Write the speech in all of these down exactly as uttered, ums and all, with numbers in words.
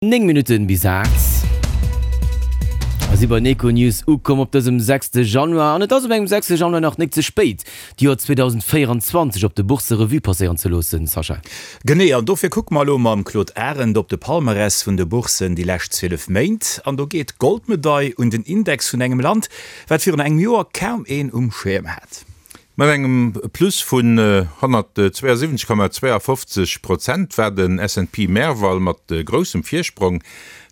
Néng Minutten bis aacht a si bei den Econews ukomm op dësem sechste Januar. An et ass op engem sechste Januar nach nik ze spéit, d'Joer zweedausendvéierundzwanzeg op de Boursse Revue passéieren ze loossen, Sascha. Genee, an dofir kucke mer elo mam Claude Arend op de Palmarès vun de Bourssen déi lescht zwielef Méint. An do geet d'Goldmedail un den Index vun engem Land, wat virun engem Joer kaum een um Schierm hat. Mat engem Plus vun honnertzweeasiwwenzeg Komma zweeafofzeg Prozent war den S and P Merval mat groussem Virsprong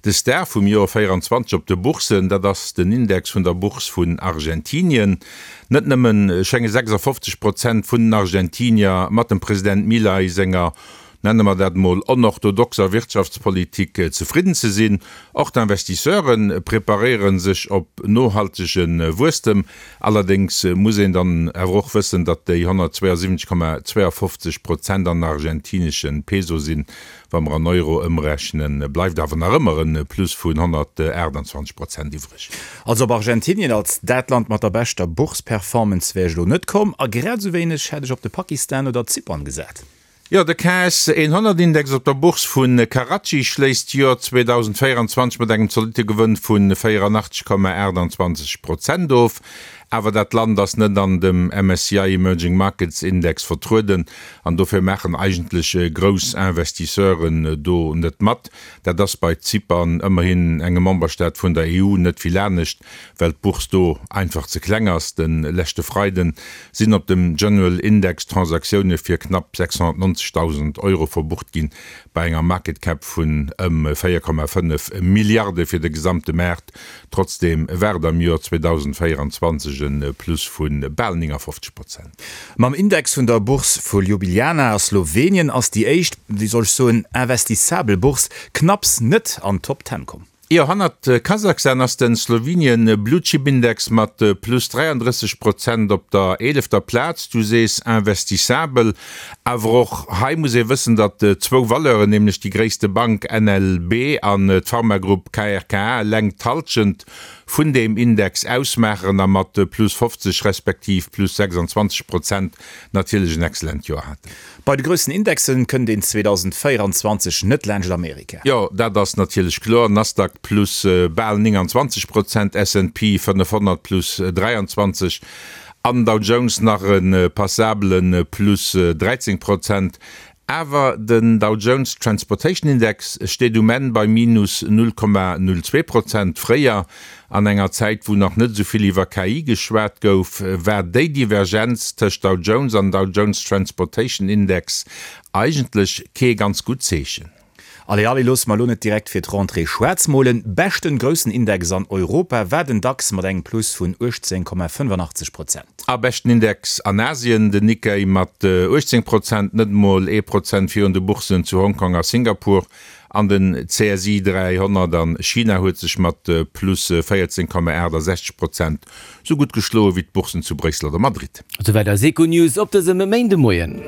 de Star vum Joer véierundzwanzeg op de Bourssen. Dat ass den Index vun der Bourse vun Argentinien. Net nëmme schénge sechsafofzeg Prozent vun den Argentinier mat dem President Milei senger, nenne mer dat emol, onorthodoxer Wirtschaftspolitik zefridden ze sinn. Och d'Investisseure preparéiere sech op nohaltege Wuesstem. Allerdéngs muss een dann awer och wëssen, datt déi honnertzweeasiwwenzeg Komma zweeafofzeg Prozent an argentinesche Peso sinn. Wa mer an Euro ëmrechnen, bleift awer nach ëmmer e Plus vun honnertaachtanzwanzeg Prozent iwwreg. Also op Argentinien als dat Land mat der beschter Bourse-Performance wär ech elo net komm, a grad esou wéineg hätt ech op de Pakistan oder Zypern gesat. Jo, de K S honnert Index op der Bourse vu Karachi schléisst d'Joer zweedausendvéierundzwanzeg mat engem zolitte Gewënn vu véierundachteg Komma aachtanzwanzeg Prozent of. Awer dat Land ass net an dem M S C I Emerging Markets Index vertrueden an dofir maachen eigentlech grouss Investisseuren do net mat. Dat ass bei Zypern, ëmmerhin engem Memberstaat vun der E U, net vill anescht, well d'Bourse do einfach ze kleng ass. De leschte Freiden sinn op dem General Index Transaktioune fir knapp sechshonnertnonzegdausend Euro verbucht ginn, bei enger Market Cap vun ëm véier Komma fënnef Milliarde fir de gesamte Maart. Trotzdeem war et am Joer zweedausendvéierundzwanzeg e Plus vu bal néngafofzeg Prozent. Mam Index vun der Bourse vu Ljubljana a Slowenien ass déi éischt, wéi soll ech soen, investissabel Bourse knapps net an d'Top Ten komm. Jo, hannert Kasachstan ass de Slovenian Blue Chip Index mat plus dräiandrësseg Prozent op der eelefter Plaz. Du sees investissabel, awer och hei muss ee wëssen, datt zwou Valeuren, nämlech déi gréisste Bank N L B an d'Pharmagrupp K R K A, eleng d'Hallschent vun deem Index ausmaachen a mat plus fofzeg respektiv plus sechsanzwanzeg Prozent natierlech en excellent Joer haten. Bei de groussen Indexen kënnt een zweedausendvéierundzwanzeg net laanscht Amerika. Jo, dat ass natierlech kloer. Nasdaq plus bal nénganzwanzeg Prozent, S and P fënnefhonnert plus dräianzwanzeg an Dow Jones nach e passabele plus dräizéng Prozent. Awer den Dow Jones Transportation Index steet um Enn bei minus null Komma null zwee Prozent. Fréier, an enger Zäit wou nach net esou vill iwwer K I geschwat gouf, war déi Divergenz tëscht Dow Jones an Dow Jones Transportation Index eigentlech kee ganz gutt Zeechen. Allez, allez, loosse mer elo net direkt fir d'Rentrée schwaarz molen. Beschten groussen Index an Europa war den DAX mat engem Plus vun uechtzéng Komma fënnefenachtzeg Prozent. A beschten Index an Asien, den Nikkei mat uechtzéng Prozent, net emol ee Prozent virun de Bourssen zu Hongkong a Singapur. An den C S I dräihonnert a China huet sech mat plus véierzéng Komma aachtasechzeg Prozent sou gutt geschloe wéi d'Bourssen zu Bréissel oder Madrid. Souwäit eis Econews op dësem Méindemoien.